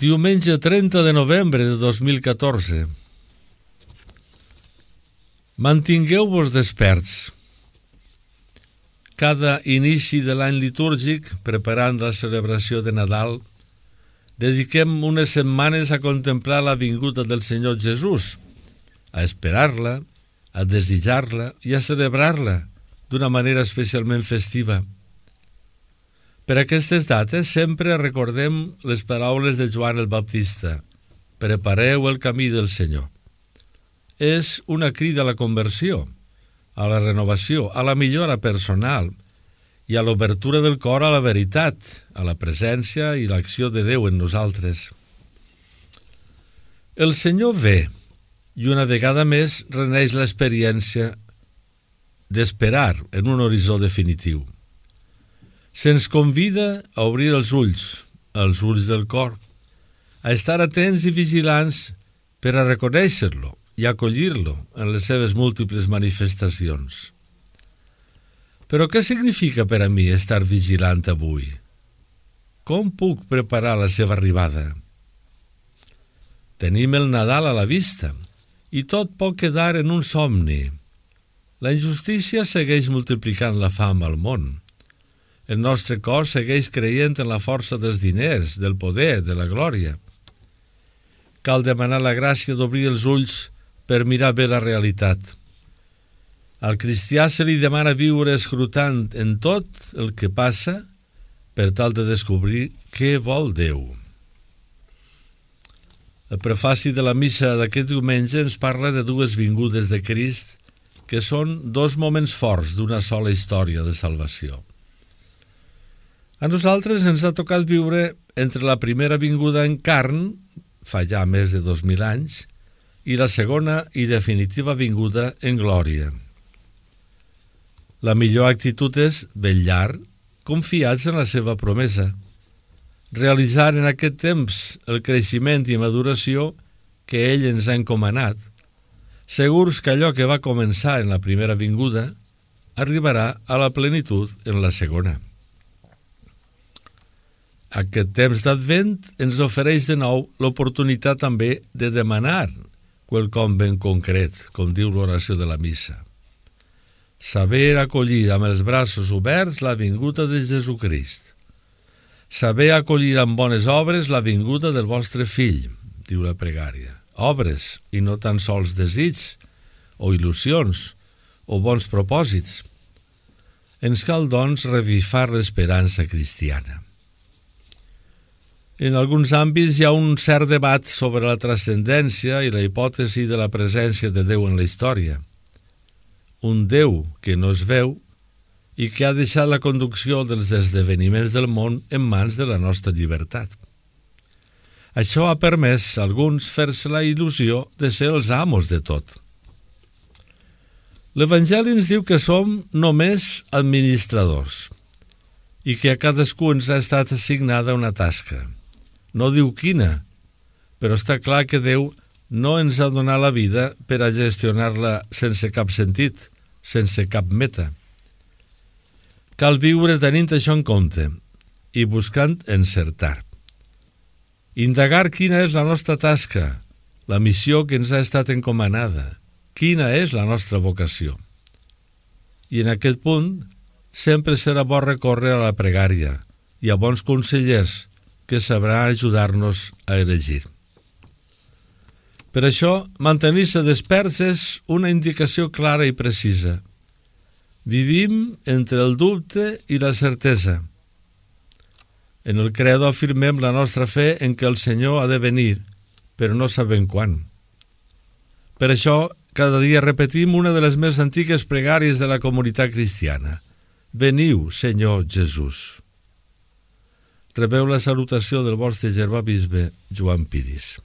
Diumenge 30 de novembre de 2014. Mantingueu-vos desperts. Cada inici de l'any litúrgic, preparant la celebració de Nadal, dediquem unes setmanes a contemplar la vinguda del Senyor Jesús, a esperar-la, a desitjar-la i a celebrar-la d'una manera especialment festiva. Per aquestes dates sempre recordem les paraules de Joan el Baptista: prepareu el camí del Senyor. És una crida a la conversió, a la renovació, a la millora personal i a l'obertura del cor a la veritat, a la presència i l'acció de Déu en nosaltres. El Senyor ve i una vegada més reneix l'experiència d'esperar en un horitzó definitiu. Se'ns convida a obrir els ulls del cor, a estar atents i vigilants per a reconèixer-lo i acollir-lo en les seves múltiples manifestacions. Però què significa per a mi estar vigilant avui? Com puc preparar la seva arribada? Tenim el Nadal a la vista i tot pot quedar en un somni. La injustícia segueix multiplicant la fam al món. El nostre cos segueix creient en la força dels diners, del poder, de la glòria. Cal demanar la gràcia d'obrir els ulls per mirar bé la realitat. Al cristià se li demana viure escrutant en tot el que passa per tal de descobrir què vol Déu. El prefaci de la missa d'aquest diumenge ens parla de dues vingudes de Crist que són dos moments forts d'una sola història de salvació. A nosaltres ens ha tocat viure entre la primera vinguda en carn, fa ja més de 2000 anys, i la segona i definitiva vinguda en glòria. La millor actitud és vetllar, confiats en la seva promesa, realitzar en aquest temps el creixement i maduració que ell ens ha encomanat, segurs que allò que va començar en la primera vinguda arribarà a la plenitud en la segona. Aquest temps d'Advent ens ofereix de nou l'oportunitat també de demanar quelcom ben concret, com diu l'oració de la missa. Saber acollir amb els braços oberts la vinguda de Jesucrist. Saber acollir amb bones obres la vinguda del vostre fill, diu la pregària. Obres i no tan sols desig o il·lusions o bons propòsits. Ens cal, doncs, revifar l'esperança cristiana. En alguns àmbits hi ha un cert debat sobre la transcendència i la hipòtesi de la presència de Déu en la història. Un Déu que no es veu i que ha deixat la conducció dels esdeveniments del món en mans de la nostra llibertat. Això ha permès a alguns fer-se la il·lusió de ser els amos de tot. L'Evangeli ens diu que som només administradors i que a cadascú ens ha estat assignada una tasca. No diu quina, però està clar que Déu no ens ha donat la vida per a gestionar-la sense cap sentit, sense cap meta. Cal viure tenint això en compte i buscant encertar. Indagar quina és la nostra tasca, la missió que ens ha estat encomanada, quina és la nostra vocació. I en aquest punt sempre serà bo recórrer a la pregària i a bons consellers que sabrà ajudar-nos a elegir. Per això, mantenir-se desperts és una indicació clara i precisa. Vivim entre el dubte i la certesa. En el credo afirmem la nostra fe en que el Senyor ha de venir, però no sabem quan. Per això, cada dia repetim una de les més antigues pregàries de la comunitat cristiana. Veniu, Senyor Jesús. Rebeu la salutació del vostre germà bisbe Joan Piris.